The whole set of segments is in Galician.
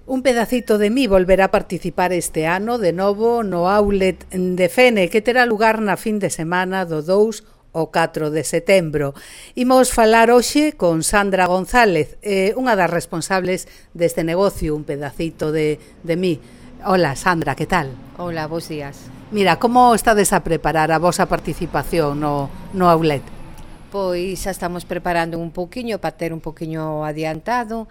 Un pedacito de mí volverá a participar este ano de novo no outlet de Fene, que terá lugar na fin de semana do 2 ao 4 de setembro. Imos falar hoxe con Sandra González, unha das responsables deste negocio, un pedacito de mí. Hola, Sandra, que tal? Hola, bons días. Mira, como estades a preparar a vosa participación no outlet? Pois xa estamos preparando un pouquiño para ter un pouquiño adiantado,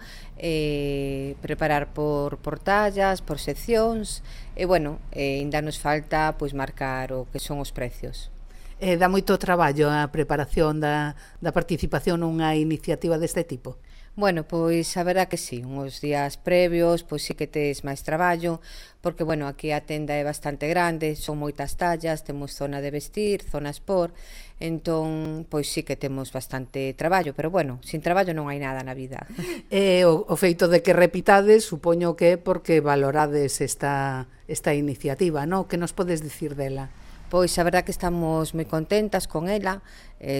preparar por tallas, por seccións, e bueno, ainda nos falta pois marcar o que son os precios. Dá moito traballo a preparación da participación nunha iniciativa deste tipo? Bueno, pois a verdad que sí, uns días previos, pois sí que tes máis traballo, porque, bueno, aquí a tenda é bastante grande, son moitas tallas, temos zona de vestir, zona sport, entón, pois sí que temos bastante traballo, pero, bueno, sin traballo non hai nada na vida. O feito de que repitades, supoño que é porque valorades esta iniciativa, non? Que nos podes dicir dela? Pois a verdad que estamos moi contentas con ela,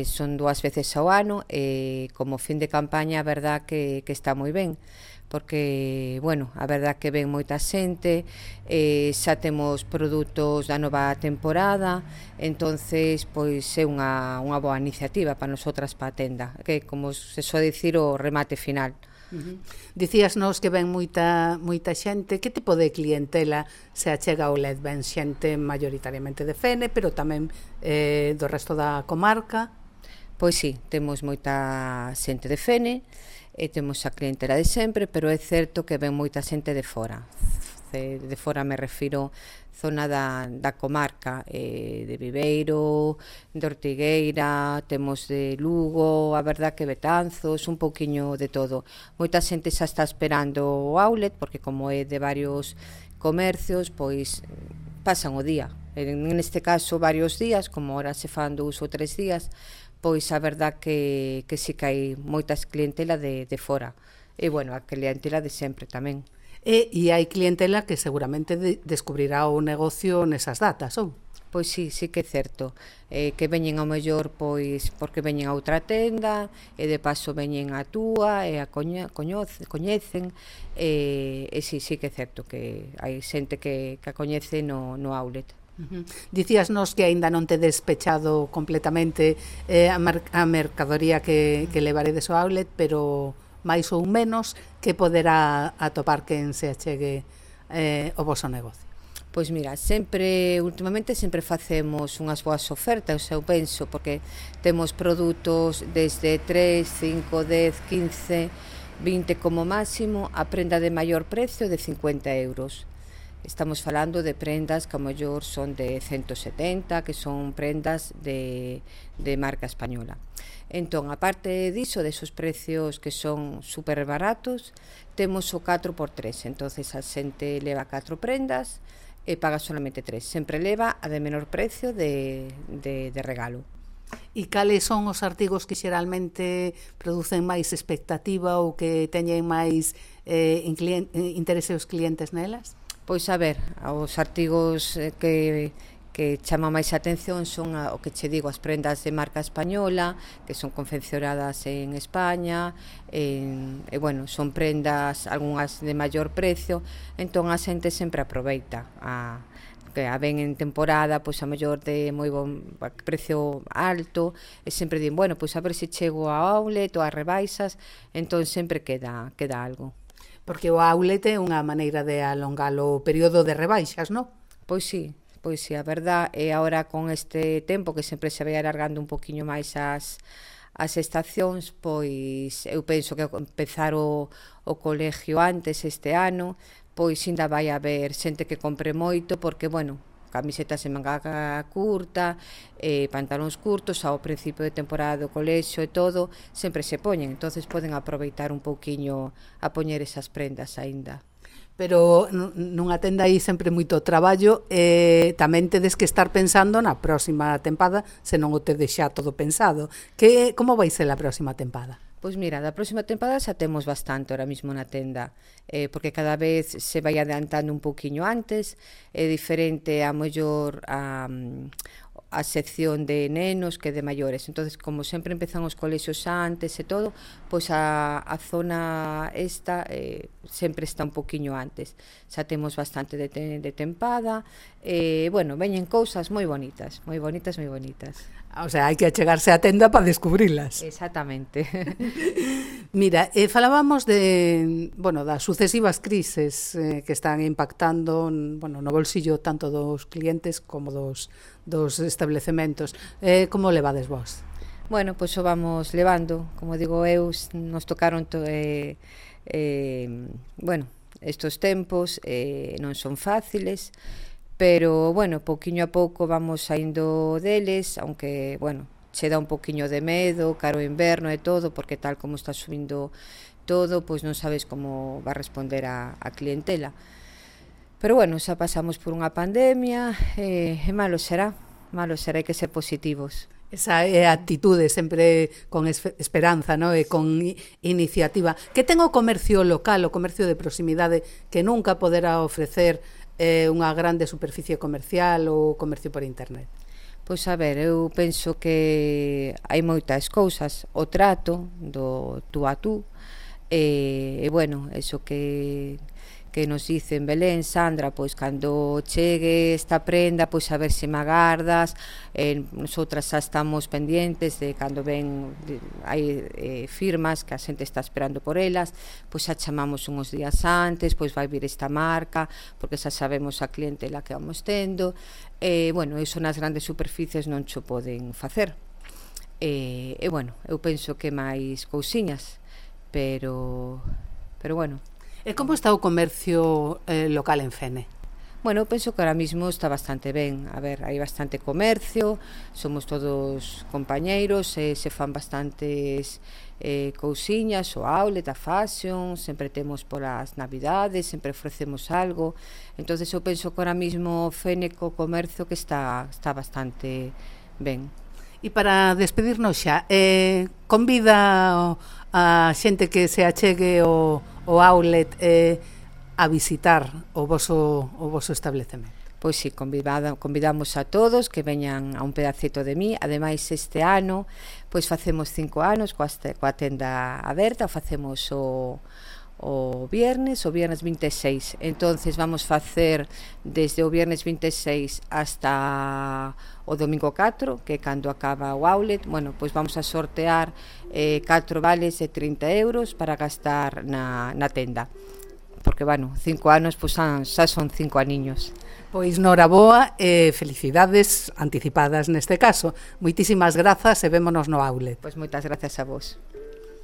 son 2 veces ao ano e como fin de campaña a verdad que está moi ben, porque, bueno, a verdad que ven moita xente, xa temos produtos da nova temporada, entonces pois é unha boa iniciativa para nosotras para a tenda, que como se soe dicir o remate final. Dicíasnos que ven moita xente. Que tipo de clientela se achega ao LED? Ven xente maioritariamente de Fene, pero tamén do resto da comarca? Pois sí, temos moita xente de Fene e temos a clientela de sempre, pero é certo que ven moita xente de fora. De fora me refiro zona da comarca, de Viveiro, de Ortigueira, temos de Lugo, a verdad que Betanzos, un pouquiño de todo. Moita xente xa está esperando o outlet, porque como é de varios comercios, pois pasan o día. Neste caso varios días, como ahora se fan 2 ou 3 días, pois a verdad que sí que hai moitas clientela de fora. E, bueno, a clientela de sempre tamén. E hai clientela que seguramente descubrirá o negocio nesas datas, ou? Pois sí que é certo, que veñen ao mellor pois porque veñen a outra tenda e de paso veñen a túa e a coñecen e sí que é certo que hai xente que a coñece no outlet. Dicíasnos que aínda non te despechado completamente a mercadoría que levaredes ao outlet, pero máis ou menos que poderá atopar quen se achegue o voso negocio? Pois mira, últimamente sempre facemos unhas boas ofertas, eu penso, porque temos produtos desde 3, 5, 10, 15, 20 como máximo, a prenda de maior precio de 50 euros. Estamos falando de prendas que ao mellor son de 170, que son prendas de marca española. Entón, aparte diso, desos precios que son super baratos, temos o 4x3, entonces a xente leva 4 prendas e paga solamente 3, sempre leva a de menor precio de regalo. E cales son os artigos que xeralmente producen máis expectativa ou que teñen máis interese os clientes nelas? Pois a ver, os artigos que chama máis a atención son o que che digo, as prendas de marca española que son confeccionadas en España e bueno, son prendas algunhas de maior precio, entón a xente sempre aproveita que a ven en temporada, pois a mellor de moi bon precio alto e sempre din, bueno, pois a ver se chego ao outlet ou a rebaixas, entón sempre queda algo. Porque o outlet é unha maneira de alongar o período de rebaixas, non? Pois sí, a verdad é agora con este tempo que sempre se vai alargando un poquinho máis as estacións, pois eu penso que ao empezar o colegio antes este ano, pois ainda vai haber xente que compre moito porque, bueno, camisetas en manga curta, pantalóns curtos, ao principio de temporada do colexio e todo, sempre se poñen, entonces poden aproveitar un pouquiño a poñer esas prendas aínda. Pero nunha tenda hai sempre moito traballo e tamén tedes que estar pensando na próxima tempada, se non o tedes xa todo pensado. Como vai ser a próxima tempada? Pois mira, da próxima tempada xa temos bastante ahora mismo na tenda, porque cada vez se vai adiantando un pouquiño antes, é diferente a mellor a sección de nenos que de maiores. Entonces, como sempre empezan os colexios antes e todo, pois a zona esta sempre está un poquinho antes. Xa temos bastante de tempada. Bueno, veñen cousas moi bonitas, moi bonitas, moi bonitas. O sea, hai que achegarse á tenda para descubrilas. Exactamente. Mira, falábamos das sucesivas crises que están impactando no bolsillo tanto dos clientes como dos establecementos. Como levades vos? Bueno, pois o vamos levando. Como digo eu, nos tocaron estos tempos non son fáciles, pero, bueno, pouquiño a pouco vamos saindo deles, aunque, bueno, che dá un poquinho de medo, caro inverno e todo, porque tal como está subindo todo, pois non sabes como va a responder a clientela. Pero, bueno, xa pasamos por unha pandemia, e malo será, hai que ser positivos. Esa é a actitude sempre con esperanza, no? E con iniciativa. Que ten o comercio local, o comercio de proximidade, que nunca poderá ofrecer unha grande superficie comercial ou comercio por internet? Pois a ver, eu penso que hai moitas cousas, o trato do tú a tú, e bueno, eso que nos dicen Belén, Sandra, pois cando chegue esta prenda, pois a ver se me agardas, nosotras xa estamos pendientes de cando ven, hai firmas que a xente está esperando por elas, pois xa chamamos uns días antes, pois vai vir esta marca, porque xa sabemos a clientela que vamos tendo, bueno, iso nas grandes superficies non xo poden facer, bueno, eu penso que máis cousiñas, pero bueno. E como está o comercio local en Fene? Bueno, penso que ahora mismo está bastante ben. A ver, hai bastante comercio, somos todos compañeiros, se fan bastantes cousiñas, o outlet, a fashion, sempre temos polas navidades, sempre ofrecemos algo. Entonces eu penso que ahora mismo Fene co comercio que está bastante ben. E para despedirnos xa, convida a xente que se achegue o outlet a visitar o voso establecemento? Pois sí, convidamos a todos que veñan a un pedacito de mí. Ademais, este ano pois facemos 5 anos coa tenda aberta, facemos o viernes 26. Entonces vamos facer desde o viernes 26 hasta o domingo 4, que cando acaba o outlet, bueno, pois vamos a sortear 4 vales de 30 euros para gastar na tenda. Porque, bueno, 5 anos, pois xa son 5 aniños. Pois noraboa e felicidades anticipadas neste caso. Moitísimas grazas e vémonos no outlet. Pois moitas grazas a vos.